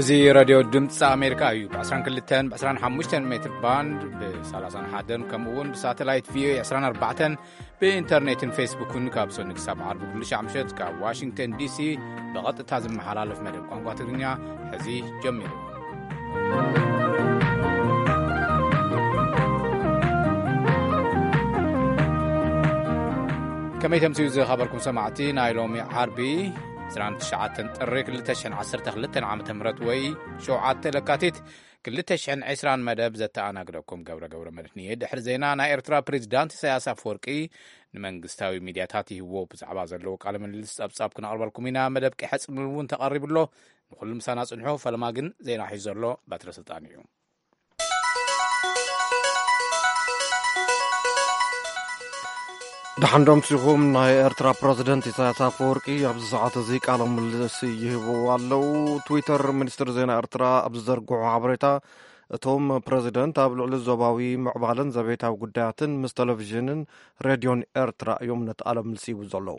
እዚ ሬድዮ ድምፂ ኣሜሪካ እዩ። ብ22 ብ25 ሜትር ባንድ፣ ብ31፣ ከምኡ እውን ብሳተላይት ቪኦኤ 24፣ ብኢንተርኔትን ፌስቡክን ካብ ሰኑ ክሳብ ዓርቢ ኩሉ ሻዕ ምሸት ካብ ዋሽንግተን ዲሲ ብቐጥታ ዝመሓላለፍ መደብ ቋንቋ ትግርኛ ሕዚ ጀሚሩ። ከመይ ተምስዩ ዝኸበርኩም ሰማዕቲ፣ ናይ ሎሚ ዓርቢ 29 ጥሪ 2012 ዓ ም ወይ ሸውዓተ ለካቲት 2020 መደብ ዘተኣናግደኩም ገብረ ገብረ መድህን እየ። ድሕሪ ዜና፣ ናይ ኤርትራ ፕሬዚዳንት ኢሳያስ ኣፈወርቂ ንመንግስታዊ ሚድያታት ይህቦ ብዛዕባ ዘለዎ ቃለ ምልልስ ጸብጻብ ክነቕርበልኩም ኢና። መደብ ቀይሐ ጽምብል እውን ተቐሪቡ ኣሎ። ንኹሉ ምሳና ጽንሑ። ፈለማ ግን ዜና ሒዙ ዘሎ በትረ ስልጣን እዩ። ደሓን ዶ ኣምሲኹም። ናይ ኤርትራ ፕረዚደንት ኢሳያስ ኣፈወርቂ ኣብዚ ሰዓት እዚ ቃለ ምልልስ ይህቡ ኣለዉ። ትዊተር ሚኒስትሪ ዜና ኤርትራ ኣብ ዝዘርግሖ ሓበሬታ፣ እቶም ፕረዚደንት ኣብ ልዕሊ ዞባዊ ምዕባለን ዘቤታዊ ጉዳያትን ምስ ቴሌቪዥንን ሬድዮን ኤርትራ እዮም ነቲ ቃለ ምልልስ ይህቡ ዘለዉ።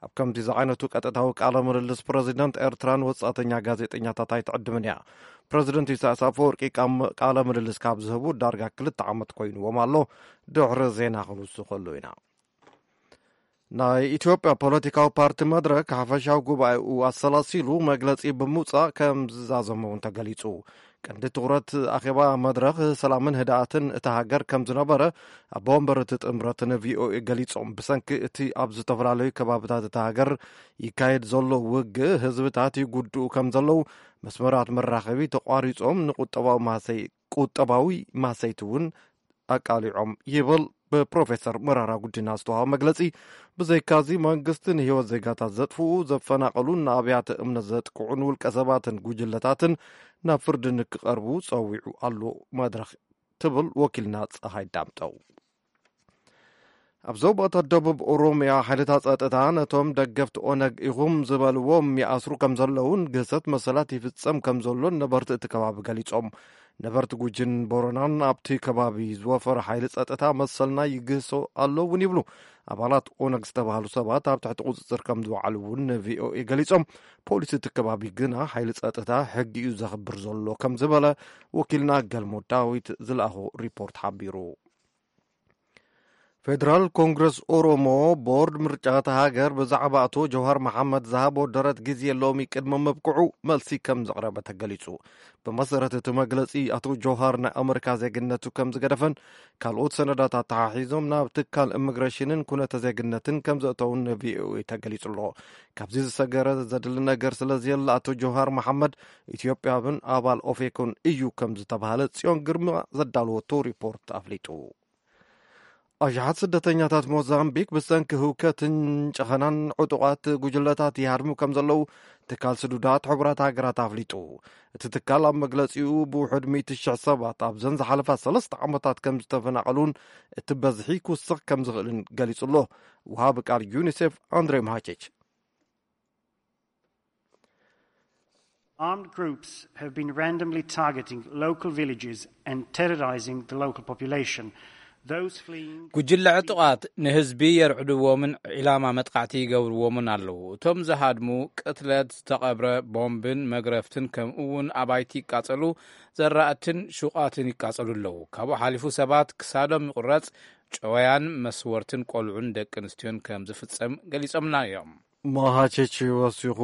ኣብ ከምዚ ዝዓይነቱ ቀጥታዊ ቃለ ምልልስ ፕረዚደንት ኤርትራን ወጻእተኛ ጋዜጠኛታት ኣይትዕድምን እያ። ፕረዚደንት ኢሳያስ ኣፈወርቂ ቃም-፣ ቃለ ምልልስ ካብ ዝህቡ ዳርጋ ክልተ ዓመት ኮይንዎም ኣሎ። ድሕሪ ዜና ክንውስኸሉ ኢና። ናይ ኢትዮጵያ ፖለቲካዊ ፓርቲ መድረክ ሓፈሻዊ ጉባኤኡ ኣሰላሲሉ መግለጺ ብምውጻእ ከም ዝዛዘመ እውን ተገሊጹ። ቀንዲ ትኹረት ኣኼባ መድረኽ ሰላምን ህድኣትን እታ ሃገር ከም ዝነበረ ኣቦ ወንበር እቲ ጥምረት ንቪኦኤ ገሊጾም። ብሰንኪ እቲ ኣብ ዝተፈላለዩ ከባብታት እታ ሃገር ይካየድ ዘሎ ውግእ ህዝብታት ይጉድኡ ከም ዘለዉ፣ መስመራት መራኸቢ ተቋሪጾም ንቁጠባዊ ማሰይ-፣ ቁጠባዊ ማሰይቲ እውን ኣቃሊዖም ይብል ብፕሮፌሰር መራራ ጉዲና ዝተዋሃበ መግለጺ። ብዘይካዚ መንግስቲ ንህይወት ዜጋታት ዘጥፍኡ፣ ዘፈናቐሉን ንኣብያተ እምነት ዘጥቅዑን ውልቀ ሰባትን ጉጅለታትን ናብ ፍርዲ ንክቐርቡ ጸዊዑ ኣሎ መድረኽ ትብል ወኪልና ጸሃይ ዳምጠው። ኣብ ዞባታት ደቡብ ኦሮምያ ሓይልታት ጸጥታ ነቶም ደገፍቲ ኦነግ ኢኹም ዝበልዎም ይኣስሩ ከም ዘለውን ግህሰት መሰላት ይፍጸም ከም ዘሎን ነበርቲ እቲ ከባቢ ገሊጾም። ነበርቲ ጉጂን ቦረናን ኣብቲ ከባቢ ዝወፈረ ሓይሊ ጸጥታ መሰልና ይግህሶ ኣሎ እውን ይብሉ። ኣባላት ኦነግ ዝተባህሉ ሰባት ኣብ ትሕቲ ቁጽጽር ከም ዝወዓሉ እውን ንቪኦኤ ገሊጾም። ፖሊስ እቲ ከባቢ ግና ሓይሊ ጸጥታ ሕጊ እዩ ዘኽብር ዘሎ ከም ዝበለ ወኪልና ገልሞ ዳዊት ዝለኣኾ ሪፖርት ሓቢሩ። ፌደራል ኮንግረስ ኦሮሞ ቦርድ ምርጫ እታ ሃገር ብዛዕባ ኣቶ ጀውሃር መሓመድ ዝሃቦ ደረት ግዜ ሎሚ ቅድሚ ምብቅዑ መልሲ ከም ዘቕረበ ተገሊጹ። ብመሰረት እቲ መግለጺ፣ ኣቶ ጀውሃር ናይ ኣመሪካ ዜግነቱ ከም ዝገደፈን ካልኦት ሰነዳት ኣተሓሒዞም ናብ ትካል ኢሚግሬሽንን ኩነተ ዜግነትን ከም ዘእተውን ንቪኦኤ ተገሊጹ ኣሎ። ካብዚ ዝሰገረ ዘድሊ ነገር ስለ ዘየለ ኣቶ ጀውሃር መሓመድ ኢትዮጵያውን ኣባል ኦፌኮን እዩ ከም ዝተባህለ ጽዮን ግርማ ዘዳለወቶ ሪፖርት ኣፍሊጡ። ኣሽሓት ስደተኛታት ሞዛምቢክ ብሰንኪ ህውከትን ጨኸናን ዕጡቓት ጉጅለታት ይሃድሙ ከም ዘለዉ ትካል ስዱዳት ሕቡራት ሃገራት ኣፍሊጡ። እቲ ትካል ኣብ መግለጺኡ ብውሑድ ሚእቲ ሽሕ ሰባት ኣብዘን ዝሓለፋ ሰለስተ ዓመታት ከም ዝተፈናቐሉን እቲ በዝሒ ክውስኽ ከም ዝኽእልን ገሊጹ ኣሎ። ወሃቢ ቃል ዩኒሴፍ ኣንድሬ ማሃቼች። Armed groups have been randomly targeting local villages and terrorizing the local population. Those fleeing ጉጅለ ዕጡቓት ንህዝቢ የርዕድዎምን ዒላማ መጥቃዕቲ ይገብርዎምን ኣለዉ። እቶም ዝሃድሙ ቅትለት፣ ዝተቐብረ ቦምብን መግረፍትን፣ ከምኡ እውን ኣባይቲ ይቃጸሉ፣ ዘራእትን ሹቓትን ይቃጸሉ ኣለዉ። ካብኡ ሓሊፉ ሰባት ክሳዶም ይቑረጽ፣ ጨወያን መስወርትን ቆልዑን ደቂ ኣንስትዮን ከም ዝፍጸም ገሊጾምና እዮም። ማሃቼቺ ወሲኹ፣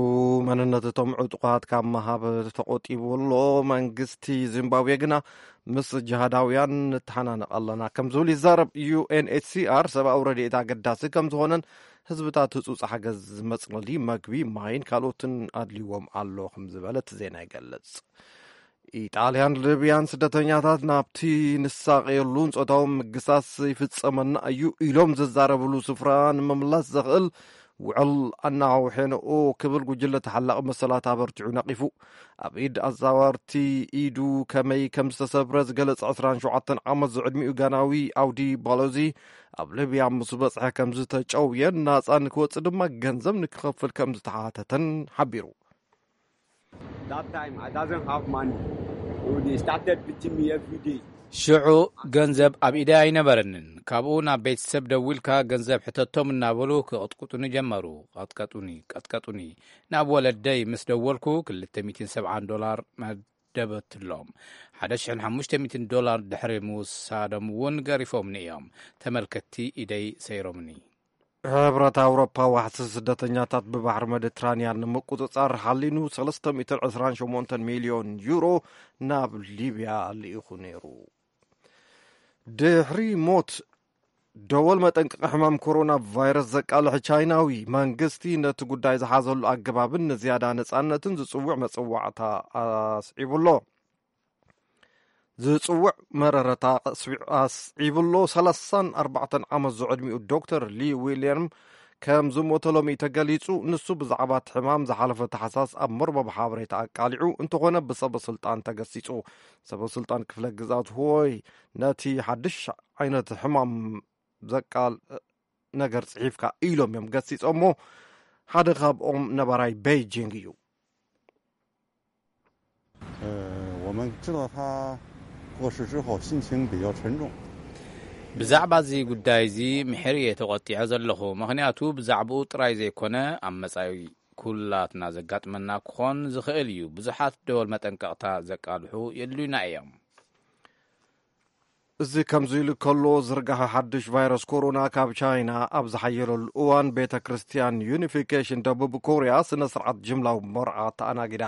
መንነት እቶም ዕጡቓት ካብ መሃብ ተቖጢቡ ኣሎ። መንግስቲ ዚምባብዌ ግና ምስ ጅሃዳውያን ንተሓናነቕ ኣለና ከም ዝብል ይዛረብ። ዩ ኤን ኤች ሲ ኣር ሰብኣዊ ረድኤት ኣገዳሲ ከም ዝኾነን ህዝብታት ህጹጽ ሓገዝ ዝመጽለሊ መግቢ፣ ማይን ካልኦትን ኣድልይዎም ኣሎ ከም ዝበለ እቲ ዜና ይገልጽ። ኢጣልያን ሊብያን ስደተኛታት ናብቲ ንሳቐየሉን ጾታዊ ምግሳስ ይፍጸመና እዩ ኢሎም ዝዛረብሉ ስፍራ ንምምላስ ዘኽእል ውዕል ኣናውሐንኦ ክብል ጉጅለ ተሓላቒ መሰላት ኣበርቲዑ ነቒፉ። ኣብ ኢድ ኣዛወርቲ ኢዱ ከመይ ከም ዝተሰብረ ዝገለጸ ዕስራን ሸውዓተን ዓመት ዝዕድሚኡ ጋናዊ ኣውዲ ባሎዚ፣ ኣብ ሊብያ ምስ በጽሐ ከም ዝተጨውየን ናጻ ንክወጽእ ድማ ገንዘብ ንክኸፍል ከም ዝተሓተተን ሓቢሩ። That time, I doesn't have money. So they started beating me every day. ሽዑ ገንዘብ ኣብ ኢደይ ኣይነበረንን። ካብኡ ናብ ቤተሰብ ደዊልካ ገንዘብ ሕተቶም እናበሉ ክቕጥቁጡኒ ጀመሩ። ቀጥቀጡኒ፣ ቀጥቀጡኒ። ናብ ወለደይ ምስ ደወልኩ ክልተ ሚእትን ሰብዓን ዶላር መደበትሎም። ሓደ ሽሕን ሓሙሽተ ሚእትን ዶላር ድሕሪ ምውሳዶም እውን ገሪፎምኒ እዮም። ተመልከትቲ ኢደይ ሰይሮምኒ። ሕብረት ኣውሮፓ ዋሕሲ ስደተኛታት ብባሕሪ መዲትራንያን ንምቁጽጻር ሓሊኑ ሰለስተ ሚእትን ዕስራን ሸሞንተን ሚልዮን ዩሮ ናብ ሊብያ ልኢኹ ነይሩ። ድሕሪ ሞት ደወል መጠንቀቂ ሕማም ኮሮና ቫይረስ ዘቃልሕ ቻይናዊ መንግስቲ ነቲ ጉዳይ ዝሓዘሉ ኣገባብን ንዝያዳ ነጻነትን ዝጽውዕ መጽዋዕታ ኣስዒቡ ኣሎ። ዝጽውዕ መረረታ ኣስዒቡ ኣሎ። ሰላሳን ኣርባዕተን ዓመት ዝዕድሚኡ ዶክተር ሊ ዊልያም ከም ዝሞተ ሎሚ ተገሊጹ። ንሱ ብዛዕባ እቲ ሕማም ዝሓለፈ ታሕሳስ ኣብ መርበብ ሓበሬታ ኣቃሊዑ እንተኾነ ብሰበ ስልጣን ተገሲጹ። ሰበ ስልጣን ክፍለ ግዛት ሆይ ነቲ ሓድሽ ዓይነት ሕማም ዘቃል ነገር ጽሒፍካ ኢሎም እዮም ገሲጾሞ። ሓደ ካብኦም ነባራይ ቤይጂንግ እዩ። 呃，我们知道他过世之后心情比较沉重。 ብዛዕባ እዚ ጉዳይ እዚ ምሕር እየ ተቖጢዐ ዘለኹ። ምኽንያቱ ብዛዕባኡ ጥራይ ዘይኮነ ኣብ መጻኢ ኩላትና ዘጋጥመና ክኾን ዝኽእል እዩ። ብዙሓት ደወል መጠንቀቕታ ዘቃልሑ የድልዩና እዮም። እዚ ከምዚ ኢሉ ከሎ ዝርጋሐ ሓድሽ ቫይረስ ኮሮና ካብ ቻይና ኣብ ዝሓየለሉ እዋን ቤተ ክርስቲያን ዩኒፊኬሽን ደቡብ ኮርያ ስነ ስርዓት ጅምላዊ መርዓ ተኣናጊዳ።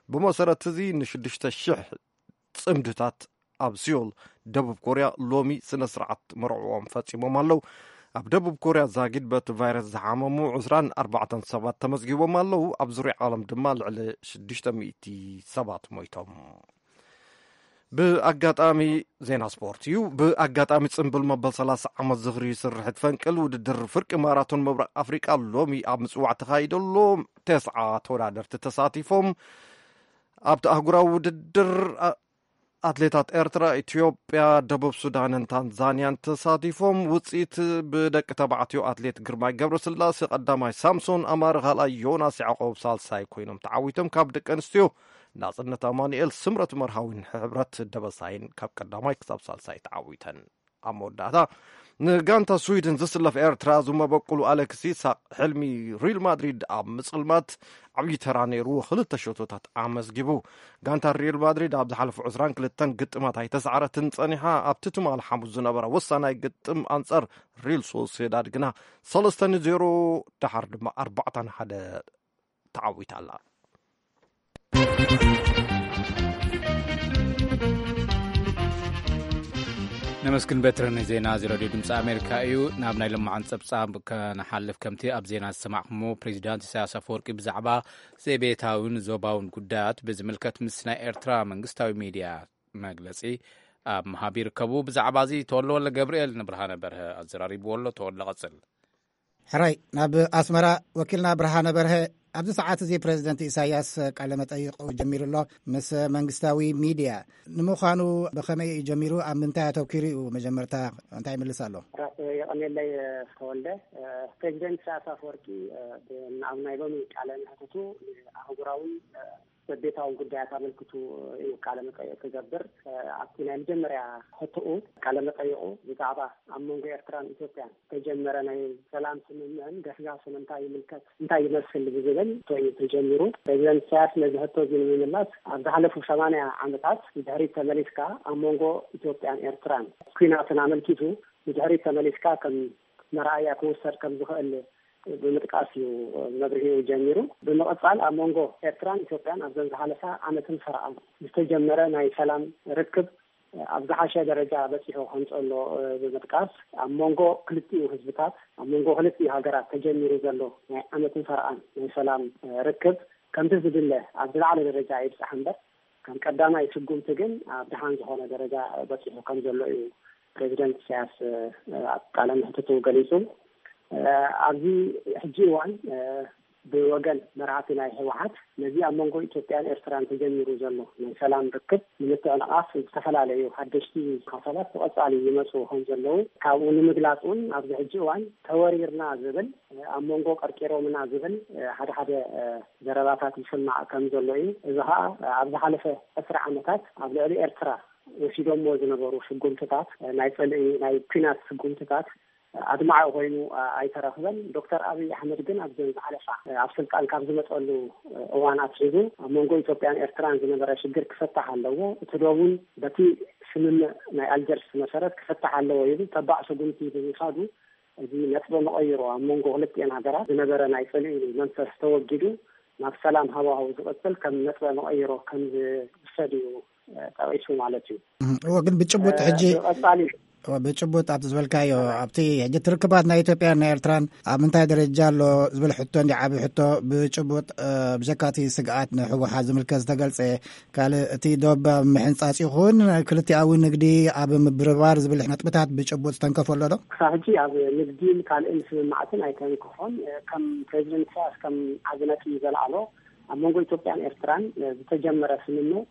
ብመሰረት እዚ ንሽዱሽተ ሽሕ ጽምድታት ኣብ ሲዮል ደቡብ ኮርያ ሎሚ ስነ ስርዓት መርዕኦም ፈጺሞም ኣለዉ። ኣብ ደቡብ ኮርያ ዛጊድ በቲ ቫይረስ ዝሓመሙ ዕስራን ኣርባዕተን ሰባት ተመዝጊቦም ኣለዉ። ኣብ ዙርያ ዓለም ድማ ልዕሊ ሽዱሽተ ሚእቲ ሰባት ሞይቶም። ብኣጋጣሚ ዜና ስፖርት እዩ። ብኣጋጣሚ ጽምብል መበል ሰላሳ ዓመት ዝኽሪ ስርሕት ፈንቅል ውድድር ፍርቂ ማራቶን ምብራቕ ኣፍሪቃ ሎሚ ኣብ ምጽዋዕ ተኻይደሎ። ተስዓ ተወዳደርቲ ተሳቲፎም። ኣብቲ ኣህጉራዊ ውድድር ኣትሌታት ኤርትራ፣ ኢትዮጵያ፣ ደቡብ ሱዳንን ታንዛንያን ተሳቲፎም። ውፅኢት ብደቂ ተባዕትዮ ኣትሌት ግርማይ ገብረስላሴ ቀዳማይ፣ ሳምሶን ኣማረ ካልኣይ፣ ዮናስ ያዕቆብ ሳልሳይ ኮይኖም ተዓዊቶም። ካብ ደቂ ኣንስትዮ ናፅነት ኣማኑኤል፣ ስምረት መርሃዊን ሕብረት ደበሳይን ካብ ቀዳማይ ክሳብ ሳልሳይ ተዓዊተን። ኣብ መወዳእታ ንጋንታ ስዊድን ዝስለፍ ኤርትራ ዝመበቁሉ ኣሌክስ ይስሐቅ ሕልሚ ሪል ማድሪድ ኣብ ምፅልማት ዓብዪ ተራ ነይርዎ። ክልተ ሸቶታት ኣመዝጊቡ። ጋንታ ሪል ማድሪድ ኣብ ዝሓለፉ ዕስራን ክልተን ግጥማት ኣይተሳዕረትን ጸኒሓ። ኣብቲ ትማል ሓሙስ ዝነበረ ወሳናይ ግጥም ኣንጻር ሪል ሶሴዳድ ግና ሰለስተ ንዜሮ፣ ደሓር ድማ ኣርባዕተ ንሓደ ተዓዊታ ኣላ። ነመስግን በትረ ንዜና እዚ ረድዮ ድምፂ ኣሜሪካ እዩ። ናብ ናይ ለማዓን ፀብፃብ ከነሓልፍ፣ ከምቲ ኣብ ዜና ዝሰማዕኩሞ ፕሬዚዳንት ኢሳያስ ኣፈወርቂ ብዛዕባ ዘቤታውን ዞባውን ጉዳያት ብዝምልከት ምስ ናይ ኤርትራ መንግስታዊ ሚድያ መግለፂ ኣብ ምሃብ ይርከቡ። ብዛዕባ እዚ ተወልደ ወልደ ገብርኤል ንብርሃነ በርሀ ኣዘራሪብዎ ኣሎ። ተወልደ ቀፅል። ሕራይ ናብ ኣስመራ ወኪልና ብርሃነ በርሀ። ኣብዚ ሰዓት እዚ ፕሬዚደንት ኢሳያስ ቃለ መጠይቕ ጀሚሩ ኣሎ ምስ መንግስታዊ ሚድያ። ንምዃኑ ብኸመይ እዩ ጀሚሩ? ኣብ ምንታይ ኣተኪሩ እዩ? መጀመርታ እንታይ ይምልስ ኣሎ? የቐኔለይ ተወልደ። ፕሬዚደንት ኢሳያስ ኣፈወርቂ ኣብ ናይ ሎሚ ቃለ መሕትቱ ኣህጉራዊ ዘቤታዊ ጉዳያት ኣመልክቱ እዩ ቃለ መጠይቕ ክገብር። ኣብቲ ናይ መጀመርያ ሕትኡ ቃለ መጠይቑ ብዛዕባ ኣብ መንጎ ኤርትራን ኢትዮጵያን ዝተጀመረ ናይ ሰላም ስምምዕን ገስጋስን እንታይ ይምልከት፣ እንታይ ይመስል ብዝብል ሕቶ እዩ ተጀሚሩ። ፕሬዚደንት ኢሳያስ ነዚ ሕቶ እዚ ንምምላስ ኣብ ዝሓለፉ ሸማንያ ዓመታት ንድሕሪት ተመሊስካ ኣብ መንጎ ኢትዮጵያን ኤርትራን ኲናትን ኣመልኪቱ ንድሕሪት ተመሊስካ ከም መርኣያ ክውሰድ ከም ዝኽእል ብምጥቃስ እዩ መብርሂኡ ጀሚሩ። ብምቕጻል ኣብ መንጎ ኤርትራን ኢትዮጵያን ኣብዘን ዝሓለፋ ዓመትን ፈረቓን ዝተጀመረ ናይ ሰላም ርክብ ኣብ ዝሓሸ ደረጃ በጺሑ ከም ዘሎ ብምጥቃስ ኣብ መንጎ ክልቲኡ ህዝብታት፣ ኣብ መንጎ ክልቲኡ ሃገራት ተጀሚሩ ዘሎ ናይ ዓመትን ፈረቓን ናይ ሰላም ርክብ ከምቲ ዝድለ ኣብ ዝለዓለ ደረጃ ይብጻሕ እምበር ከም ቀዳማይ ስጉምቲ ግን ኣብ ደሓን ዝኾነ ደረጃ በጺሑ ከም ዘሎ እዩ ፕሬዚደንት ኢሳያስ ኣብ ቃለ መሕትቱ ገሊጹ። ኣብዚ ሕጂ እዋን ብወገን መራሕቲ ናይ ህወሓት ነዚ ኣብ መንጎ ኢትዮጵያን ኤርትራን ተጀሚሩ ዘሎ ናይ ሰላም ርክብ ንምትዕንቓፍ ዝተፈላለዩ ሓደሽቲ ሓሳባት ብቐጻሊ ይመጹ ከም ዘለዉ ካብኡ ንምግላጽ እውን ኣብዚ ሕጂ እዋን ተወሪርና ዝብል ኣብ መንጎ ቀርቂሮምና ዝብል ሓደ ሓደ ዘረባታት ይስማዕ ከም ዘሎ እዩ። እዚ ኸኣ ኣብ ዝሓለፈ ዕስራ ዓመታት ኣብ ልዕሊ ኤርትራ ወሲዶሞ ዝነበሩ ስጉምትታት፣ ናይ ጽልኢ፣ ናይ ኲናት ስጉምትታት ኣድማዒ ኮይኑ ኣይተረኽበን። ዶክተር ኣብይ ኣሕመድ ግን ኣብዘን ዝሓለፋ፣ ኣብ ስልጣን ካብ ዝመጸሉ እዋን ኣትሒዙ ኣብ መንጎ ኢትዮጵያን ኤርትራን ዝነበረ ሽግር ክፈታሕ ኣለዎ፣ እቲ ዶብ እውን በቲ ስምምዕ ናይ ኣልጀርስ መሰረት ክፈታሕ ኣለዎ ኢሉ ተባዕ ስጉምቲ ብምውሳዱ፣ እዚ ነጥበ መቐይሮ ኣብ መንጎ ክልቲኤን ሃገራት ዝነበረ ናይ ጽልኢ መንፈስ ተወጊዱ ናብ ሰላም ሃዋህው ዝቕጽል ከም ነጥበ መቐይሮ ከም ዝውሰድ እዩ ጠቒሱ ማለት እዩ። እወ፣ ግን ብጭቡጥ ሕጂ ቀጻሊ ብጭቡጥ ኣብቲ ዝበልካዮ፣ ኣብቲ ሕጂ ትርክባት ናይ ኢትዮጵያን ናይ ኤርትራን ኣብ ምንታይ ደረጃ ኣሎ ዝብል ሕቶ እንዲ ዓቢ ሕቶ፣ ብጭቡጥ ብጀካቲ ስግኣት ንሕወሓት ዝምልከት ዝተገልጸ ካልእ፣ እቲ ዶብ ኣብ ምሕንጻጽ ይኹን ክልቲኣዊ ንግዲ ኣብ ምብርባር ዝብል ነጥብታት ብጭቡጥ ዝተንከፈ ኣሎ ዶ? ክሳብ ሕጂ ኣብ ንግዲን ካልእን ስምምዓትን ኣይተንክፎን። ከም ፕሬዚደንት ኢሳያስ ከም ዓቢ ነጥቢ ዘልዓሎ፣ ኣብ መንጎ ኢትዮጵያን ኤርትራን ዝተጀመረ ስምምዕ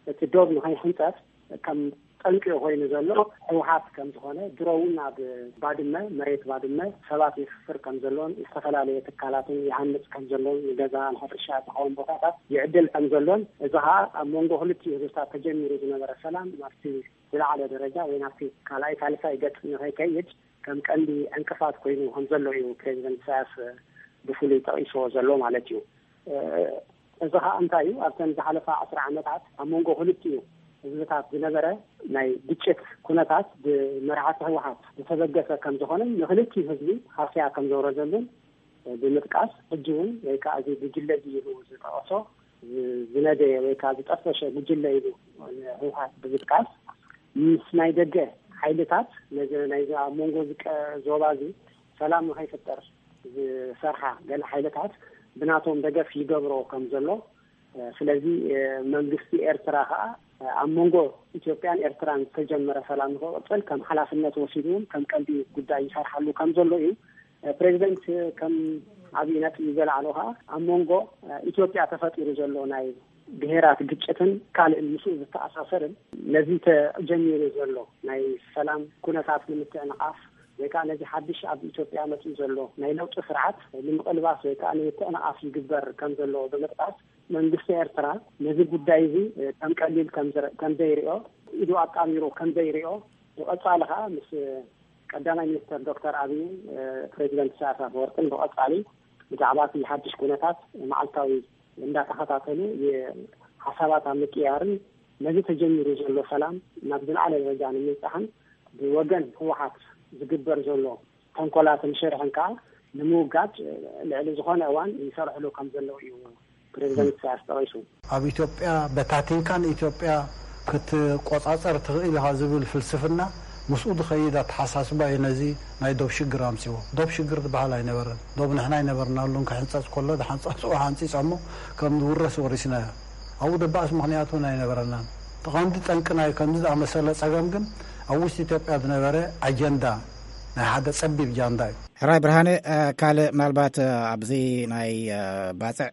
እቲ ዶብ ንኸይሕንጸጽ ከም ጠንቂ ኮይኑ ዘሎ ህወሓት ከም ዝኾነ፣ ድሮ እውን ኣብ ባድመ፣ መሬት ባድመ ሰባት የስፍር ከም ዘሎን ዝተፈላለየ ትካላትን ይሃንጽ ከም ዘሎን፣ ንገዛ ንሕርሻ ዝኸውን ቦታታት ይዕድል ከም ዘሎን፣ እዚ ኸዓ ኣብ መንጎ ክልቲኡ ህዝብታት ተጀሚሩ ዝነበረ ሰላም ናብቲ ዝለዓለ ደረጃ ወይ ናብቲ ካልኣይ ሳልሳይ ገጽ ንኸይከይድ ከም ቀንዲ ዕንቅፋት ኮይኑ ከም ዘሎ እዩ ፕሬዚደንት ኢሳያስ ብፍሉይ ጠቒስዎ ዘሎ ማለት እዩ። እዚ ኸዓ እንታይ እዩ? ኣብተን ዝሓለፋ ዓስር ዓመታት ኣብ መንጎ ክልቲኡ ህዝብታት ዝነበረ ናይ ግጭት ኩነታት ብመራሕቲ ህወሓት ዝተበገሰ ከም ዝኾነን ንክልቲኡ ህዝቢ ሃስያ ከም ዘውረደሉን ብምጥቃስ፣ ሕጂ እውን ወይ ከዓ እዚ ጉጅለ እዚ ኢሉ ዝጠቐሶ ዝነደየ ወይ ከዓ ዝጠፈሸ ጉጅለ ኢሉ ንህወሓት ብምጥቃስ፣ ምስ ናይ ደገ ሓይልታት ነዚ ናይዚ ኣብ መንጎ እዚ ቀ- ዞባ እዚ ሰላም ንኸይፍጠር ዝሰርሓ ገለ ሓይልታት ብናቶም ደገፍ ይገብሮ ከም ዘሎ፣ ስለዚ መንግስቲ ኤርትራ ከዓ ኣብ መንጎ ኢትዮጵያን ኤርትራን ዝተጀመረ ሰላም ንክቕፅል ከም ሓላፍነት ወሲዱ እውን ከም ቀንዲ ጉዳይ ይሰርሓሉ ከም ዘሎ እዩ። ፕሬዚደንት ከም ዓብዪ ነጥቢ ዘልዓሎ ከዓ ኣብ መንጎ ኢትዮጵያ ተፈጢሩ ዘሎ ናይ ብሄራት ግጭትን ካልእን ምስኡ ዝተኣሳሰርን ነዚ ተጀሚሩ ዘሎ ናይ ሰላም ኩነታት ንምትዕንቓፍ ወይ ከዓ ነዚ ሓድሽ ኣብ ኢትዮጵያ መፅኡ ዘሎ ናይ ለውጢ ስርዓት ንምቕልባስ ወይ ከዓ ንምትዕንቓፍ ይግበር ከም ዘሎ ብምጥቃስ፣ መንግስቲ ኤርትራ ነዚ ጉዳይ እዚ ከም ቀሊል ከም ዝረ- ከም ዘይሪኦ፣ ኢዱ ኣጣሚሩ ከም ዘይሪኦ፣ ብቐፃሊ ከዓ ምስ ቀዳማይ ሚኒስትር ዶክተር ኣብይን ፕሬዚደንት ኢሳያስ ኣፈወርቅን ብቐፃሊ ብዛዕባ እቲ ሓድሽ ኩነታት መዓልታዊ እንዳተኸታተሉ ሓሳባት ኣብ ምቅያርን ነዚ ተጀሚሩ ዘሎ ሰላም ናብ ዝለዓለ ደረጃ ንምብፃሕን ብወገን ህወሓት ዝግበር ዘሎ ተንኮላትን ሽርሕን ከዓ ንምውጋድ ልዕሊ ዝኾነ እዋን ይሰርሕሉ ከም ዘለዉ እዩ ፕሬዚደንት ኢሳያስ ጠቒሱ። ኣብ ኢትዮጵያ በታቲንካ ንኢትዮጵያ ክትቆጻጸር ትኽእል ኢኻ ዝብል ፍልስፍና ምስኡ ዝኸይድ ኣተሓሳስባ እዩ ነዚ ናይ ዶብ ሽግር ኣምጺዎ። ዶብ ሽግር ዝበሃል ኣይነበረን። ዶብ ንሕና ኣይነበርናሉን። ክሕንጸጽ ከሎ ዝሓንጸጽዎ ሓንጺጽ እሞ ከም ዝውረስ ወሪስናዮ። ኣብኡ ደባእስ ምኽንያት እውን ኣይነበረናን። እቲ ቀንዲ ጠንቂ ናይ ከምዚ ዝኣመሰለ ጸገም ግን ኣብ ውሽጢ ኢትዮጵያ ዝነበረ ኣጀንዳ ናይ ሓደ ጸቢብ ጃንዳ እዩ። ሕራይ ብርሃነ፣ ካልእ ምናልባት ኣብዚ ናይ ባጽዕ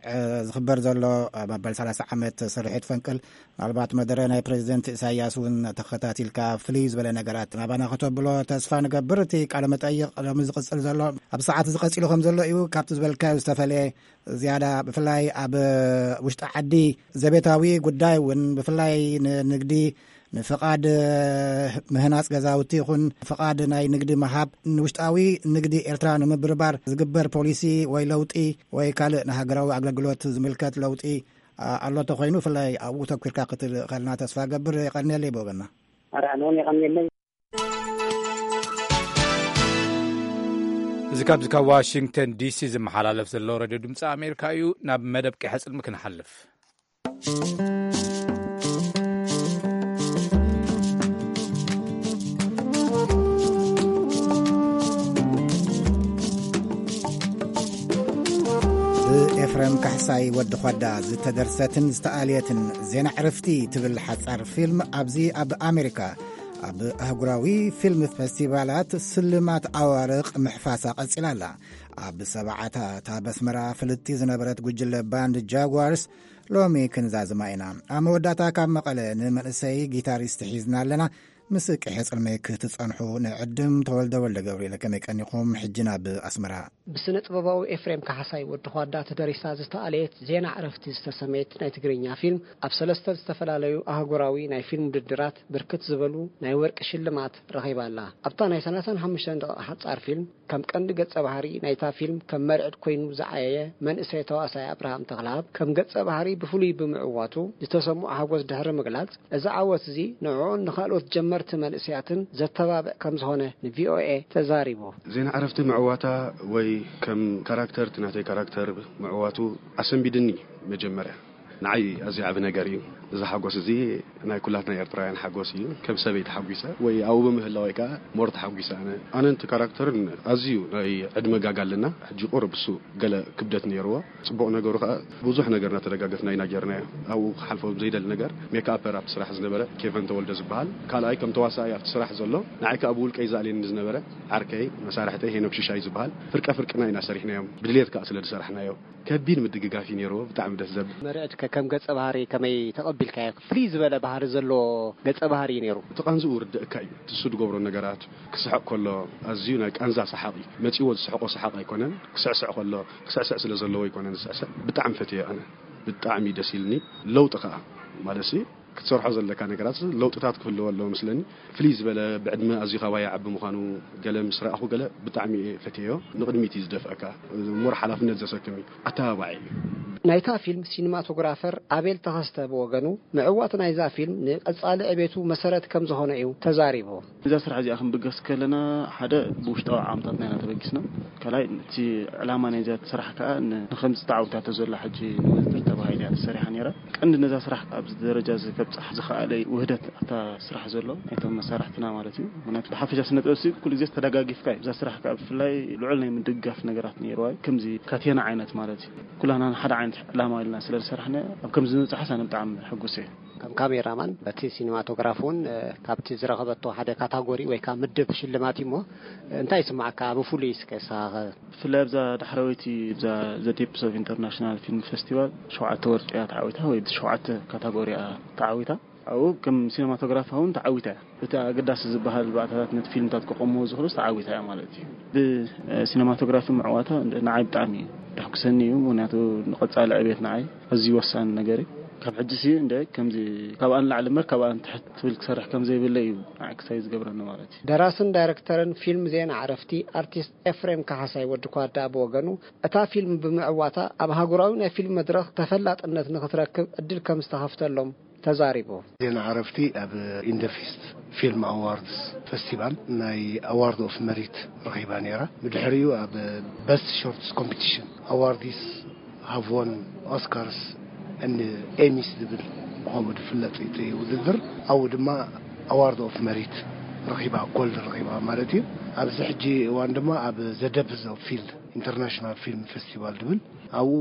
ዝኽበር ዘሎ መበል ሰላሳ ዓመት ስርሒት ፈንቅል ምናልባት መደረ ናይ ፕሬዚደንት ኢሳያስ እውን ተኸታቲልካ ፍልይ ዝበለ ነገራት ናባና ከተብሎ ተስፋ ንገብር። እቲ ቃለ መጠይቕ ሎሚ ዝቕጽል ዘሎ ኣብ ሰዓት ዝቐጺሉ ከም ዘሎ እዩ። ካብቲ ዝበልካዮ ዝተፈለየ ዝያዳ ብፍላይ ኣብ ውሽጢ ዓዲ ዘቤታዊ ጉዳይ እውን ብፍላይ ንንግዲ ንፍቓድ ምህናጽ ገዛውቲ ይኹን ፍቓድ ናይ ንግዲ ምሃብ ንውሽጣዊ ንግዲ ኤርትራ ንምብርባር ዝግበር ፖሊሲ ወይ ለውጢ ወይ ካልእ ንሃገራዊ ኣገልግሎት ዝምልከት ለውጢ ኣሎ ተኾይኑ ብፍላይ ኣብኡ ተኲርካ ክትልእኸልና ተስፋ ገብር። የቐንየለይ ብወገና። ኣረ ኣነ እውን የቐንየለይ። እዚ ካብዚ ካብ ዋሽንግተን ዲሲ ዝመሓላለፍ ዘሎ ሬድዮ ድምፂ ኣሜሪካ እዩ። ናብ መደብ ቀይሐ ፅልሚ ክንሓልፍ። ብኤፍረም ካሕሳይ ወዲ ኾዳ ዝተደርሰትን ዝተኣልየትን ዜና ዕርፍቲ ትብል ሓጻር ፊልም ኣብዚ ኣብ ኣሜሪካ ኣብ ኣህጉራዊ ፊልም ፈስቲቫላት ስልማት ኣዋርቕ ምሕፋሳ ቀጺላ ኣላ። ኣብ ሰብዓታት ኣብ ኣስመራ ፍልጥቲ ዝነበረት ጉጅለ ባንድ ጃጓርስ ሎሚ ክንዛዝማ ኢና። ኣብ መወዳእታ ካብ መቐለ ንመንእሰይ ጊታሪስት ሒዝና ኣለና። ምስ ቅሔ ጽልመይ ክትጸንሑ ንዕድም። ተወልደ ወልደ ገብርኤል፣ ከመይ ቀኒኹም? ሕጂ ናብ ኣስመራ። ብስነ ጥበባዊ ኤፍሬም ካሕሳይ ወዲ ኳዳ ተደሪሳ ዝተኣለየት ዜና ዕረፍቲ ዝተሰመየት ናይ ትግርኛ ፊልም ኣብ ሰለስተ ዝተፈላለዩ ኣህጉራዊ ናይ ፊልም ውድድራት ብርክት ዝበሉ ናይ ወርቂ ሽልማት ረኺባ ኣላ። ኣብታ ናይ ሰላሳን ሓሙሽተን ደቂቃ ሓጻር ፊልም ከም ቀንዲ ገጸ ባህሪ ናይታ ፊልም ከም መርዕድ ኮይኑ ዝዓየየ መንእሰይ ተዋሳይ ኣብርሃም ተኽለኣብ ከም ገጸ ባህሪ ብፍሉይ ብምዕዋቱ ዝተሰምዖ ሓጎስ ድሕሪ ምግላጽ፣ እዚ ዓወት እዚ ንዕኡን ንኻልኦት ጀመርቲ መንእሰያትን ዘተባብዕ ከም ዝኾነ ንቪኦኤ ተዛሪቡ። ዜና ዕረፍቲ ምዕዋታ ወይ ከም ካራክተር እቲ ናተይ ካራክተር ምዕዋቱ ኣሰንቢድኒ። መጀመርያ ንዓይ ኣዝዩ ዓቢ ነገር እዩ። እዚ ሓጎስ እዚ ናይ ኩላትና ኤርትራውያን ሓጎስ እዩ። ከም ሰበይ ተሓጒሰ ወይ ኣብኡ ብምህላወይ ከኣ ሞር ተሓጒሰ ኣነ። ኣነን እቲ ካራክተርን ኣዝዩ ናይ ዕድመ ጋግ ኣለና። ሕጂ ቁሩብ እሱ ገለ ክብደት ነይርዎ። ጽቡቕ ነገሩ ከኣ ብዙሕ ነገር እናተደጋገፍና ኢና ጌርናዮ። ኣብኡ ክሓልፎ ዘይደሊ ነገር ሜክኣፐር ኣብቲ ስራሕ ዝነበረ ኬቨን ተወልደ ዝበሃል ካልኣይ ከም ተዋሳኣይ ኣብቲ ስራሕ ዘሎ ንዓይ ከኣ ብውልቀይ ዝኣልየኒ ዝነበረ ዓርከይ መሳርሕተይ ሄኖክ ሽሻይ ዝበሃል ፍርቀ ፍርቅና ኢና ሰሪሕናዮም። ብድሌት ከኣ ስለ ዝሰራሕናዮ ከቢድ ምድግጋፍ እዩ ነይርዎ። ብጣዕሚ ደስ ዘብል። መርዕድ ከ ከም ገጸ ባህሪ ከመይ ተቐቢልካዮ? ፍልይ ዝበለ ባህሪ ዘለዎ ገጸ ባህሪ እዩ ነይሩ። እቲ ቃንዝኡ ርድእካ እዩ። እቲ እሱ ዝገብሮ ነገራት ክስሕቕ ከሎ ኣዝዩ ናይ ቃንዛ ሰሓቕ እዩ። መጺዎ ዝስሕቆ ሰሓቕ ኣይኮነን። ክስዕስዕ ከሎ ክስዕስዕ ስለ ዘለዎ ኣይኮነን ዝስዕስዕ። ብጣዕሚ ፈትየ ኣነ። ብጣዕሚ ደስ ኢልኒ። ለውጢ ከኣ ማለት ሲ ክትሰርሖ ዘለካ ነገራት ለውጥታት ክህልዎ ኣለዎ ምስለኒ። ፍልይ ዝበለ ብዕድመ ኣዝዩ ካባይ ዓቢ ምዃኑ ገለ ምስ ረኣኹ ገለ ብጣዕሚ እየ ፈትየዮ። ንቕድሚት እዩ ዝደፍአካ። ሞር ሓላፍነት ዘሰክም እዩ። ኣተባባዒ እዩ። ናይታ ፊልም ሲኒማቶግራፈር ኣቤል ተኸስተ ብወገኑ፣ ምዕዋት ናይዛ ፊልም ንቐጻሊ ዕቤቱ መሰረት ከም ዝኾነ እዩ ተዛሪቡ። እዛ ስራሕ እዚኣ ክንብገስ ከለና ሓደ ብውሽጣዊ ዓቕምታትና ኢና ተበጊስና። ካልኣይ እቲ ዕላማ ናይዛ ስራሕ ከኣ ን-፣ ንከምዚ ተዓዊታቶ ዘላ ሕጂ ንውድድር ተባሂላ እያ ተሰሪሓ ነይራ። ቀንዲ ነዛ ስራሕ ኣብዚ ደረጃ እዚ ከብጽሕ ዝኸኣለ ውህደት ኣብታ ስራሕ ዘሎ ናይቶም መሳርሕትና ማለት እዩ። ምክንያቱ ብሓፈሻ ስነ ጥበብ ሲ ኩሉ ግዜ ተደጋጊፍካ እዩ። እዛ ስራሕ ከኣ ብፍላይ ልዑል ናይ ምድግጋፍ ነገራት ነይርዋ እዩ። ከምዚ ካቴና ዓይነት ማለት እዩ። ኩላና ንሓደ ዓይነት ዕላማ ኢልና ስለ ዝሰራሕና ኣብ ከምዚ ምብጻሕስ ኣነ ብጣዕሚ ሕጉስ እየ። ከም ካሜራማን በቲ ሲኒማቶግራፍ እውን፣ እ፣ ካብቲ ዝረኸበቶ ሓደ ካታጎሪ ወይ ከዓ ምድብ ሽልማት እዩ እሞ፣ እ፣ እንታይ ይስማዓካ ብፍሉይ እስከ ንስኻ ኸ? ብፍላይ ኣብዛ ዳሕረወይቲ፣ እዛ The Depths of International Film Festival ሸውዓተ ወርቂ እያ ተዓዊታ፣ ወይ ሸውዓተ ካታጎሪ እያ ተዓዊታ። ኣብኡ ከም ሲነማቶግራፍ እውን ተዓዊታ እያ። እቲ ኣገዳሲ ዝበሃል ባእታታት ነቲ ፊልምታት ክቐምዎ ዝኽእሉስ ተዓዊታ እያ ማለት እዩ። ብሲነማቶግራፊ ምዕዋታ ንዓይ ብጣዕሚ እዩ ደሕጉሰኒ እዩ። ምኽንያቱ ንቐጻሊ ዕቤት ንዓይ ኣዝዩ ወሳኒ ነገር እዩ። ካብ ሕጂ ሲ እንደ ከምዚ ካብኣ ንላዕሊ እምበር ካብኣ ንትሕት ትብል ክሰርሕ ከም ዘይብለ እዩ ንዓይ ክሳይ ዝገብረኒ ማለት እዩ። ደራስን ዳይረክተርን ፊልም ዜና ዕረፍቲ ኣርቲስት ኤፍሬም ካሕሳይ ወዲ ኳዳ ብወገኑ፣ እታ ፊልም ብምዕዋታ ኣብ ሃገራዊ ናይ ፊልም መድረኽ ተፈላጥነት ንኽትረክብ ዕድል ከም ዝተኸፍተሎም ተዛሪቡ። ዜና ዕረፍቲ ኣብ ኢንደፊስት ፊልም ኣዋርድስ ፈስቲቫል ናይ ኣዋርድ ኦፍ መሪት ረኺባ ነይራ። ብድሕሪኡ ኣብ በስት ሾርትስ ኮምፒቲሽን ኣዋርዲስ ሃቭ ዎን ኦስካርስ ኤንድ ኤሚስ ዝብል ብኸምኡ ዝፍለጥ እቲ ውድድር፣ ኣብኡ ድማ ኣዋርድ ኦፍ መሪት ረኺባ፣ ጎልድ ረኺባ ማለት እዩ። ኣብዚ ሕጂ እዋን ድማ ኣብ ዘ ደፕዝ ኦፍ ፊልድ ኢንተርናሽናል ፊልም ፌስቲቫል ዝብል ኣብኡ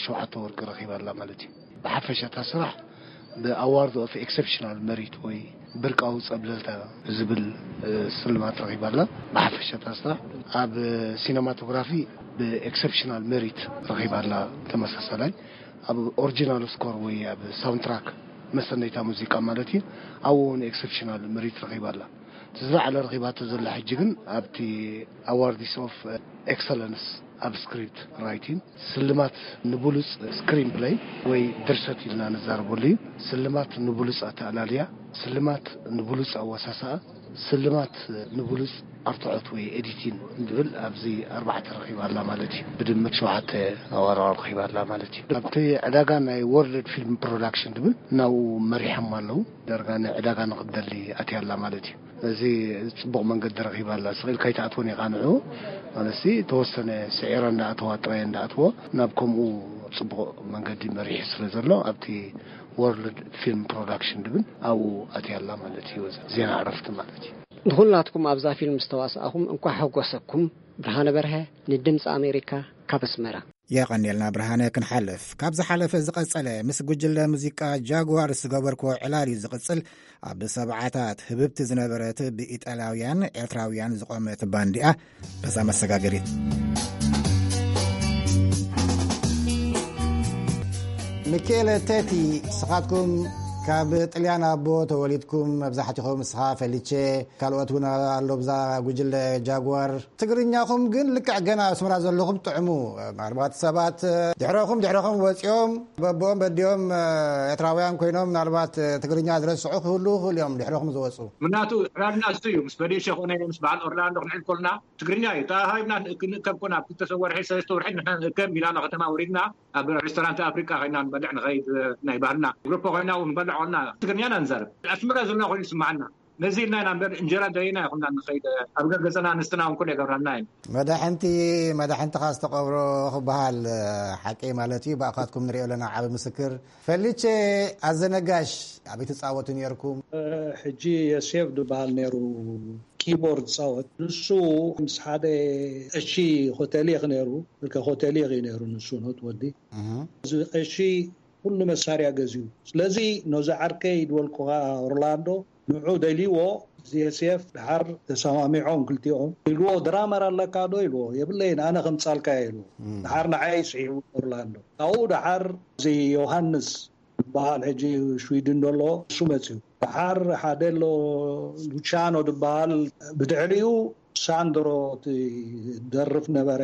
ሸውዓተ ወርቂ ረኺባ ኣላ ማለት እዩ። ብሓፈሻ እታ ስራሕ ብኣዋርድ ኦፍ ኤክሰፕሽናል መሪት ወይ ብርቃዊ ጸብለልታ ዝብል፣ እ፣ ስልማት ረኺባ ኣላ። ብሓፈሻ እታ ስራሕ ኣብ ሲነማቶግራፊ ብኤክሰፕሽናል መሪት ረኺባ ኣላ። ተመሳሳላይ ኣብ ኦሪጂናል ስኮር ወይ ኣብ ሳውንድትራክ መሰነይታ ሙዚቃ ማለት እዩ። ኣብኡ እውን ኤክሰፕሽናል መሪት ረኺባ ኣላ። እቲ ዝለዓለ ረኺባቶ ዘላ ሕጂ ግን ኣብቲ ኣዋርድስ ኦፍ ኤክሰለንስ ኣብ ስክሪፕት ራይቲንግ፣ ስልማት ንብሉጽ ስክሪን ፕሌይ ወይ ድርሰት ኢልና ንዛረበሉ እዩ። ስልማት ንብሉጽ ኣተኣላልያ፣ ስልማት ንብሉጽ ኣወሳስኣ፣ ስልማት ንብሉጽ ኣርትዖት ወይ ኤዲቲን ዝብል ኣብዚ ኣርባዕተ ረኺባ ኣላ ማለት እዩ። ብድምር ሸውዓተ ኣዋርድ ረኺባ ኣላ ማለት እዩ። ኣብቲ ዕዳጋ ናይ ወርልድ ፊልም ፕሮዳክሽን ዝብል ናብኡ መሪሖም ኣለዉ። ዳርጋ ናይ ዕዳጋ ንኽትደሊ ኣትያ ኣላ ማለት እዩ። እዚ ጽቡቕ መንገዲ ረኺባ ኣላ። ስቕ ኢልካ ኣይትኣትዎን ኢኻ ንዕኡ። ማለትሲ ተወሰነ ስዒራ እንዳኣተዋ ጥራይ እንዳኣትዎ ናብ ከምኡ ጽቡቕ መንገዲ መሪሑ ስለ ዘሎ ኣብቲ ወርልድ ፊልም ፕሮዳክሽን ዝብል ኣብኡ ኣትያ ኣላ ማለት እዩ። ዜና ዕረፍቲ ማለት እዩ። ንኹላትኩም ኣብዛ ፊልም ዝተዋሳእኹም እንኳዕ ሓጎሰኩም። ብርሃነ በርሀ ንድምፂ ኣሜሪካ ካብ ኣስመራ። የቐንየልና ብርሃነ። ክንሓልፍ ካብ ዝሓለፈ ዝቐጸለ ምስ ጉጅለ ሙዚቃ ጃጓርስ ዝገበርክዎ ዕላል እዩ ዝቕጽል። ኣብ ሰብዓታት ህብብቲ ዝነበረት ብኢጣልያውያን ኤርትራውያን ዝቖመት ባንዲኣ በዛ መሰጋገሪት። ሚኬለ ቴቲ፣ ስኻትኩም ካብ ጥልያን ኣቦ ተወሊድኩም መብዛሕትኹም፣ ንስኻ፣ ፈሊቼ፣ ካልኦት እውን ኣሎ ብዛ ጉጅለ ጃጓር። ትግርኛኹም ግን ልክዕ ገና ኣብ ኣስመራ ዘለኹም ጥዕሙ። ምናልባት ሰባት ድሕረኹም ድሕረኹም ወፂኦም በቦኦም በዲኦም ኤርትራውያን ኮይኖም ምናልባት ትግርኛ ዝረስዑ ክህልዉ ይኽእሉ እዮም ድሕረኹም ዝወፁ። ምናቱ ዕላልና እሱ እዩ። ምስ ፈሊቼ ኮነ ምስ በዓል ኦርላንዶ ክንዕል ኮልና ትግርኛ እዩ ተሃሂብና። ክንእከብ ኮና ኣብ ክልተ ወርሒ ሰለስተ ወርሒ ንሕና ንእከብ ሚላኖ ከተማ ወሪድና ኣብ ሬስቶራንት ኣፍሪቃ ኮይና ንበልዕ ንኸይድ። ናይ ባህልና ግሩፕ ኮይና እውን ንበልዕ ኮና ትግርኛና ንዛረብ። ኣስመራ ዘለና ኮይኑ ይስምዓና። ነዚ ኢልና ኢና እምበር እንጀራ ደይና ይኹና ንኸይድ። ኣብ ገገፀና ኣንስትና እውን ኩሉ የገብራልና እዩ። መዳሕንቲ መዳሕንትኻ ዝተቐብሮ ክበሃል ሓቂ ማለት እዩ። ብኣኻትኩም ንሪኦ ኣለና ዓቢ ምስክር። ፈሊቼ ኣዘነጋሽ ኣበይ ትጻወቱ ነርኩም? ሕጂ የሴፍ ዝበሃል ነይሩ፣ ኪቦርድ ጻወት። ንሱ ምስ ሓደ ቀሺ ኮተሊኽ ነይሩ፣ ብርከ ኮተሊኽ እዩ ነይሩ ንሱ ኖት ወዲ። እዚ ቀሺ ኩሉ መሳርያ ገዚኡ። ስለዚ ነዚ ዓርከይ ድበልኩኻ ኦርላንዶ ንዑ ደልይዎ፣ የሴፍ ድሓር ተሰማሚዖም ክልቲኦም። ኢልዎ፣ ድራመር ኣለካ ዶ? ኢልዎ፣ የብለይን፣ ኣነ ከምጻልካ ኢልዎ። ድሓር ንዓይ ስዒቡ ኦርላንዶ። ካብኡ ድሓር እዚ ዮሃንስ ዝበሃል ሕጂ ሽዊድን ዘሎ እሱ መጽዩ። ድሓር ሓደ ኣሎ ሉቻኖ ዝበሃል ብድሕሪኡ ሳንድሮ እቲ ደርፍ ነበረ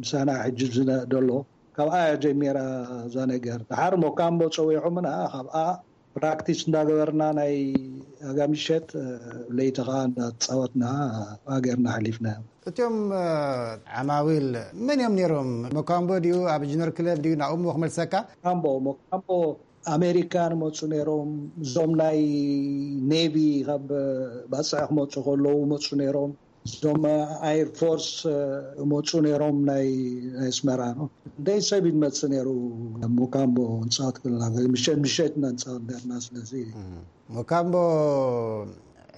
ምሳና ሕጂ ዝነ-፣ ዘሎ። ካብኣ እያ ጀሚራ እዛ ነገር። ድሓር ሞካምቦ ጸዊዖምና፣ ካብኣ ፕራክቲስ እንዳገበርና ናይ ኣጋ ምሸት፣ ለይቲ ኸዓ እንዳተጻወትና ኣገርና ሓሊፍና። እቲኦም ዓማዊል መን እዮም ነይሮም? ሞካምቦ ድዩ? ኣብ ጅነር ክለብ ድዩ? ናብኡ ክመልሰካ። ሞካምቦ፣ ሞካምቦ ኣሜሪካ ንመፁ ነይሮም። እዞም ናይ ኔቪ ካብ ባፅዕ ክመፁ ከለዉ መፁ ነይሮም። እዞም ኣይር ፎርስ መፁ ነይሮም ናይ ናይ ኣስመራ ነው። እንደይ ሰብ ይመፅእ ነይሩ። ሞካምቦ ንፃወት ክልና ምሸት ምሸት ኢና ንፃወት ነርና። ስለዚ ሞካምቦ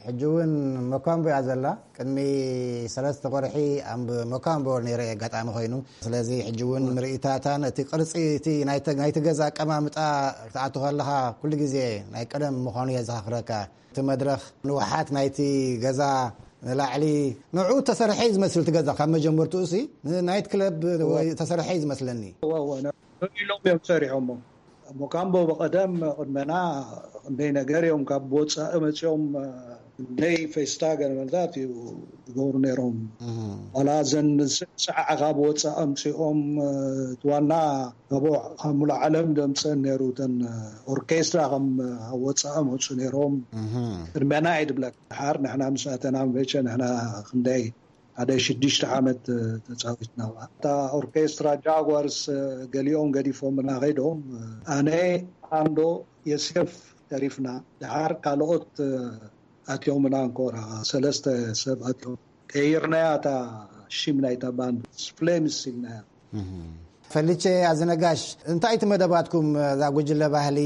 ሕጂ እውን ሞካምቦ እያ ዘላ። ቅድሚ ሰለስተ ወርሒ ኣብ ሞካምቦ ነይረ ኣጋጣሚ ኮይኑ። ስለዚ ሕጂ እውን ምርኢታታን እቲ ቅርፂ እቲ ናይቲ ናይቲ ገዛ ኣቀማምጣ ክትኣቱ ከለኻ ኩሉ ግዜ ናይ ቀደም ምዃኑ የዘኻኽረካ። እቲ መድረኽ ንውሓት ናይቲ ገዛ ንላዕሊ ንዑ ተሰርሐ እዩ ዝመስል። እቲ ገዛ ካብ መጀመርትኡ ሲ ናይት ክለብ ወይ ተሰርሐ እዩ ዝመስለኒ። እወ፣ እወ፣ ንዑ ኢሎም እዮም ሰሪሖሞ። ሞካምቦ ብቐደም ቅድመና ክንደይ ነገር እዮም ካብ ወፃኢ መፂኦም፣ ክንደይ ፌስታ ገለ መለታት እዩ ዝገብሩ ነይሮም። ዋላ እዘን ሰዓዓ ካብ ወፃኢ ኣምፂኦም እቲ ዋና ካብ ካብ ሙሉእ ዓለም ደምፀን ነይሩ። እተን ኦርኬስትራ ከም ኣብ ወፃኢ መፁ ነይሮም። ቅድመና እዩ ድብለካ። ድሓር ንሕና ምስ ኣተና መቸ ንሕና ክንደይ ሓደ ሽዱሽተ ዓመት ተፃዊትና። ኣብኣ እታ ኦርኬስትራ ጃጓርስ ገሊኦም ገዲፎምና ከይዶም፣ ኣነ፣ ኣንዶ፣ የሴፍ ተሪፍና። ድሓር ካልኦት ኣትዮምና እንኮራ ሰለስተ ሰብ ኣትዮም። ቀይርናያ እታ ሽም ናይታ ባንድ ፍሌምስ ኢልናያ። ፈሊቼ ኣዝነጋሽ፣ እንታይ እቲ መደባትኩም እዛ ጉጅለ ባህሊ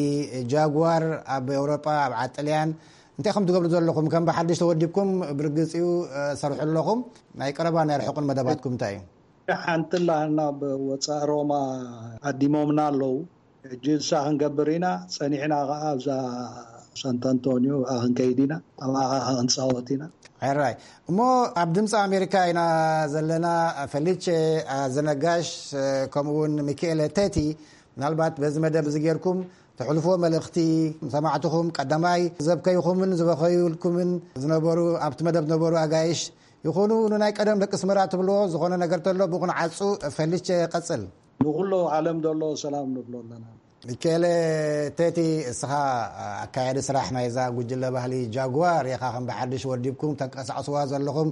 ጃጓር ኣብ ኤውሮጳ ኣብ ዓጥልያን እንታይ ከም ትገብሩ ዘለኹም? ከም ብሓድሽ ተወዲብኩም ብርግጽ እዩ ሰርሑ ኣለኹም። ናይ ቀረባ ናይ ርሑቕን መደባትኩም እንታይ እዩ? ሓንቲ ላህና ብወፃእ ሮማ ዓዲሞምና ኣለዉ። ሕጂ እሳ ክንገብር ኢና። ፀኒሕና ከዓ ኣብዛ ሳንት ኣንቶኒዮ ኣብኣ ክንከይድ ኢና። ኣብኣ ከዓ ክንፃወት ኢና። ሕራይ እሞ ኣብ ድምፂ ኣሜሪካ ኢና ዘለና። ፈሊቼ ኣዘነጋሽ ከምኡውን ሚካኤለ ቴቲ ምናልባት በዚ መደብ እዚ ጌርኩም ተሕልፎ መልእኽቲ ሰማዕትኹም ቀዳማይ ዘብከይኹምን ዝበኸዩልኩምን ዝነበሩ ኣብቲ መደብ ዝነበሩ ኣጋይሽ ይኹኑ ንናይ ቀደም ደቂ ስመራ ትብልዎ ዝኾነ ነገር ተሎ ብቑን ዓፁ። ፈሊቼ ቀፅል። ንኩሎ ዓለም ዘሎ ሰላም ንብሎ ኣለና። ሚካኤለ ቴቲ፣ እስኻ ኣካያዲ ስራሕ ናይዛ ጉጅለ ባህሊ ጃጓር ኢኻ። ከም ብሓድሽ ወዲብኩም ተንቀሳቕስዋ ዘለኹም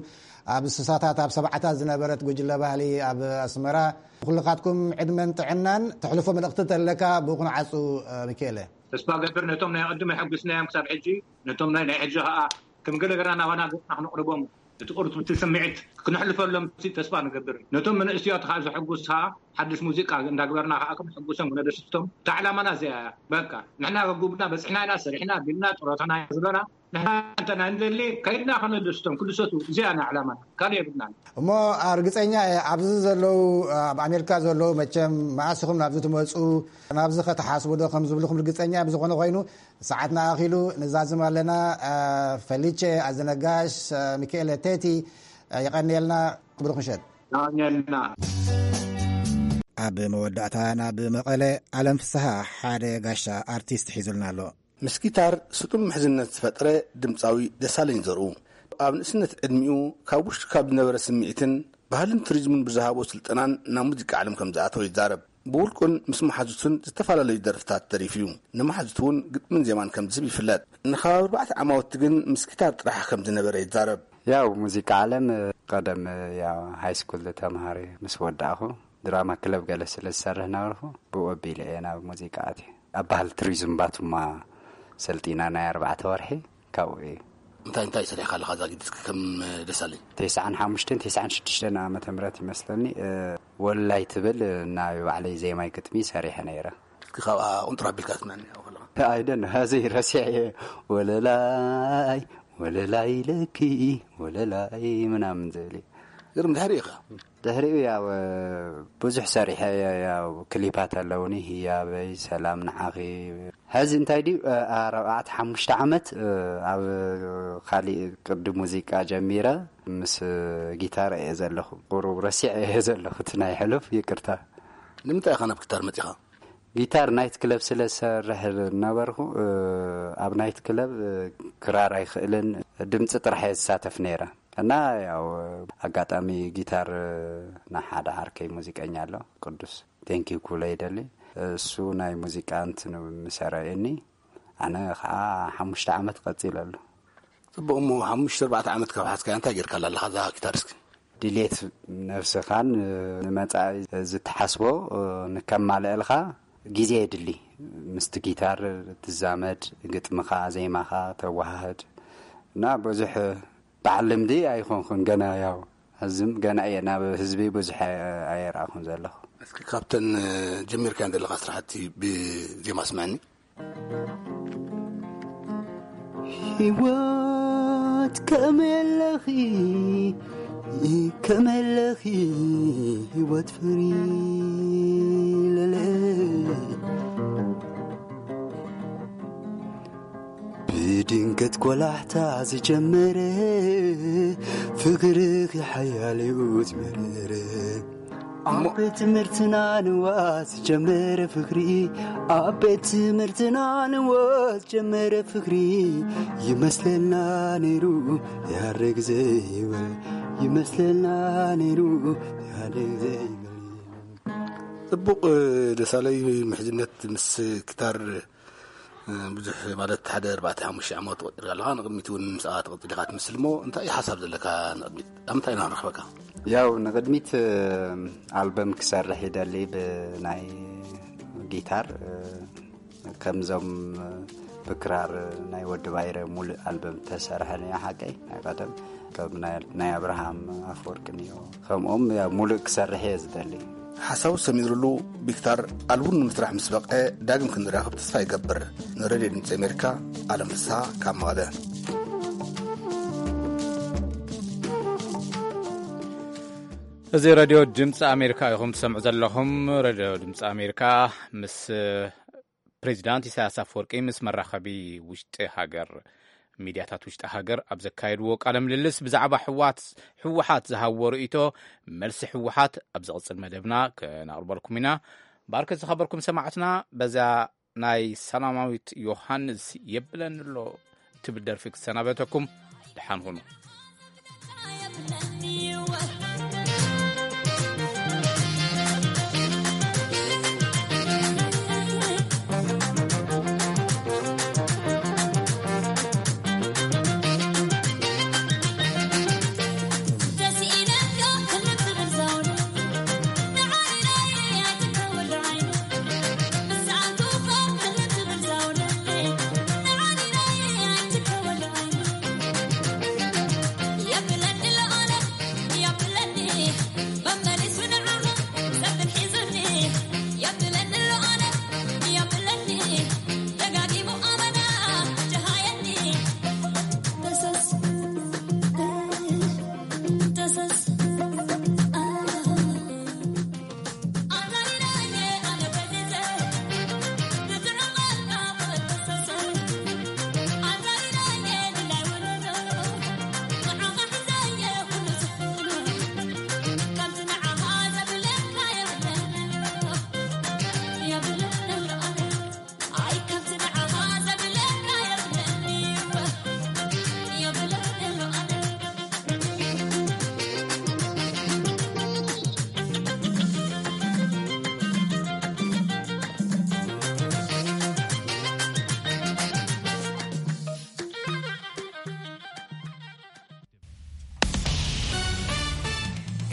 ኣብ ስሳታት ኣብ ሰብዓታት ዝነበረት ጉጅለ ባህሊ ኣብ ኣስመራ። ኩልኻትኩም ዕድመን ጥዕናን። ተሕልፎ መልእኽቲ ተለካ ብቑን ዓፁ። ሚካኤለ። ተስፋ ገብር ነቶም ናይ ቅድም ኣሐጉስናዮም ክሳብ ሕጂ፣ ነቶም ናይ ናይ ሕጂ ከዓ ከም ገለ ገርና ናባና ገፅና ክነቕርቦም እቲ ቅርብ እቲ ስምዒት ክነሕልፈሎም ተስፋ ንገብር። ነቶም መንእስያት ከዓ ዘሐጉስ ከዓ ሓድሽ ሙዚቃ እንዳግበርና ከዓ ክነሐጉሶም ክነደስቶም እታ ዕላማና እዚኣ እያ። በቃ ንሕና ከጉብና በፅሕና ኢና ሰሪሕና ቢልና ጥሮታና ዝበና ንሕና እንተ ናይ ንደሊ ከይድና ከነደስቶም ክድሰቱ እዚኣ ናይ ዕላማና ካልእ የብልናን። እሞ ርግፀኛ እየ ኣብዚ ዘለዉ ኣብ ኣሜሪካ ዘለዉ መቸም መኣስ ኢኹም ናብዚ ትመፁ ናብዚ ከተሓስቡ ዶ ከም ዝብልኩም ርግፀኛ እየ። ብዝኾነ ኮይኑ ሰዓትና ኣኺሉ ንዛዝም ኣለና። ፈሊቼ ኣዘነጋሽ፣ ሚካኤለ ቴቲ የቐንየልና። ብሩኽ ምሸት። የቐንየልና። ኣብ መወዳእታ ናብ መቐለ ኣለም ፍስሃ ሓደ ጋሻ ኣርቲስት ሒዙልና ኣሎ። ምስ ጊታር ስጡም ምሕዝነት ዝፈጠረ ድምፃዊ ደሳለኝ ዘርኡ፣ ኣብ ንእስነት ዕድሚኡ ካብ ውሽጡ ካብ ዝነበረ ስምዒትን ባህልን ቱሪዝምን ብዝሃቦ ስልጠናን ናብ ሙዚቃ ዓለም ከም ዝኣተወ ይዛረብ። ብውልቁን ምስ መሓዙቱን ዝተፈላለዩ ደርፍታት ደሪፉ እዩ። ንመሓዙቱ እውን ግጥምን ዜማን ከም ዝህብ ይፍለጥ። ንከባቢ ኣርባዕተ ዓማውቲ ግን ምስ ጊታር ጥራሕ ከም ዝነበረ ይዛረብ። ያው ሙዚቃ ዓለም ቀደም ያው ሃይስኩል ተምሃሪ ምስ ወዳእኹ ድራማ ክለብ ገለ ስለ ዝሰርሕ ነበርኩ፣ ብኡ ኣቢለ እየ ናብ ሙዚቃ ኣትየ። ኣብ ባህሊ ቱሪዝም ባቱማ ሰልጢና ናይ ኣርባዕተ ወርሒ ካብኡ እዩ። እንታይ እንታይ ሰሪሕካ ኣለኻ እዛ ጊድ እስኪ ከም ደሳለኝ? ተስዓን ሓሙሽተን ተስዓን ሽዱሽተን ዓመተ ምህረት ይመስለኒ፣ እ፣ ወለላይ ትብል ናይ ባዕለይ ዜማይ ግጥሚ ሰሪሐ ነይረ። እስኪ ካብኣ ቁንጥር ኣቢልካ ስምዐኒ ኣብኡ ከለኻ። ኣይደን፣ ሀዚ ረሲዐ እየ። ወለላይ፣ ወለላይ ኢለኪ፣ ወለላይ ምናምን ዝብል እዩ። ግርም ድሕሪ ኢኻ። ድሕሪኡ ያው ብዙሕ ሰሪሐ እየ። ያው ክሊፓት ኣለውኒ፣ ህያበይ፣ ሰላም ንዓኺ። ሐዚ እንታይ ድዩ፣ ኣርባዕተ ሓሙሽተ ዓመት ኣብ ካሊእ ቅዲ ሙዚቃ ጀሚረ ምስ ጊታር እየ ዘለኹ። ቁሩብ ረሲዐ እየ ዘለኹ እቲ ናይ ሕሉፍ፣ ይቅርታ። ንምንታይ ኢኻ ናብ ጊታር መጺኻ? ጊታር ናይት ክለብ ስለ ዝሰርሕ ነበርኩ። ኣብ ናይት ክለብ ክራር ኣይኽእልን፣ ድምፂ ጥራሕ እየ ዝሳተፍ ነይረ። እና ያው ኣጋጣሚ ጊታር ናይ ሓደ ዓርከይ ሙዚቀኛ ኣሎ፣ ቅዱስ ቴንኪው ኩሎ ይደሊ። እሱ ናይ ሙዚቃ እንትን ምሰረየኒ፣ ኣነ ከዓ ሓሙሽተ ዓመት ቀፂለሉ። ጽቡቕ። እሞ ሓሙሽተ ኣርባዕተ ዓመት ካብ ሓዝካያ እንታይ ጌርካላ ኣለኻ እዛ ጊታር እስኪ? ድሌት ነብስኻን ንመጻኢ ዝትሓስቦ ንከማልእልካ ግዜ የድሊ። ምስቲ ጊታር ትዛመድ፣ ግጥምኻ፣ ዜማኻ ተወሃህድ እና ብዙሕ በዓል ልምዲ ኣይኮንኩን ገና፣ ያው ሕዝም ገና እየ፣ ናብ ህዝቢ ብዙሕ ኣየርኣኹን ዘለኹ። እስኪ ካብተን ጀሚርካየን ዘለኻ ስራሕቲ ብዜማ ስምዐኒ። ህይወት ከመለኺ ከመለኺ ህይወት ፍሪ ለለ ብድንገት ቆላሕታ ዝጀመረ ፍቅርኺ ሓያል እዩ ዝመረረ ኣብ ቤት ትምህርትና ንዋት ጀመረ ፍቅሪ ኣብ ቤት ትምህርትና ንዋት ጀመረ ፍቅሪ ይመስለና ነይሩ ያረግ ዘይበል ይመስለና ነይሩ ያረግ ዘይበል። ጽቡቕ ደሳለይ፣ ምሕዝነት ምስ ክታር ብዙሕ ማለት ሓደ ኣርባዕተ ሓሙሽተ ዓመት ቆጢርካ ኣለኻ። ንቕድሚት እውን ምስኣ ትቕጽል ኢኻ ትመስል እሞ እንታይ እዩ ሓሳብ ዘለካ ንቕድሚት? ኣብ ምንታይ ኢና ንረኽበካ? ያው ንቕድሚት ኣልበም ክሰርሕ ይደሊ ብናይ ጊታር ከምዞም ብክራር ናይ ወዲ ባይረ ሙሉእ ኣልበም ተሰርሐ ነዮ ሓቀይ ናይ ቀደም ከም ናይ ኣብርሃም ኣፈወርቂ ነዮ ከምኦም ሙሉእ ክሰርሕ እየ ዝደሊ። ሓሳቡ ሰሚርሉ ቢክታር ኣልቡም ንምስራሕ ምስ በቕዐ ዳግም ክንራኸብ ተስፋ ይገብር። ንሬድዮ ድምፂ ኣሜሪካ ኣለም ፍስሃ ካብ መቐለ። እዚ ሬድዮ ድምፂ ኣሜሪካ ኢኹም ትሰምዑ ዘለኹም። ሬድዮ ድምፂ ኣሜሪካ ምስ ፕሬዚዳንት ኢሳያስ ኣፈወርቂ ምስ መራኸቢ ውሽጢ ሃገር ሚድያታት ውሽጢ ሃገር ኣብ ዘካየድዎ ቃለ ምልልስ ብዛዕባ ህወሓት ዝሃብዎ ርእይቶ፣ መልሲ ህወሓት ኣብ ዝቕፅል መደብና ከነቕርበልኩም ኢና። ባርከ ዝኸበርኩም ሰማዕትና፣ በዛ ናይ ሰላማዊት ዮሃንስ የብለኒ ኣሎ ትብል ደርፊ ክሰናበተኩም። ደሓን ሁኑ።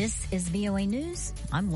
This is V O A News. I'm Laura.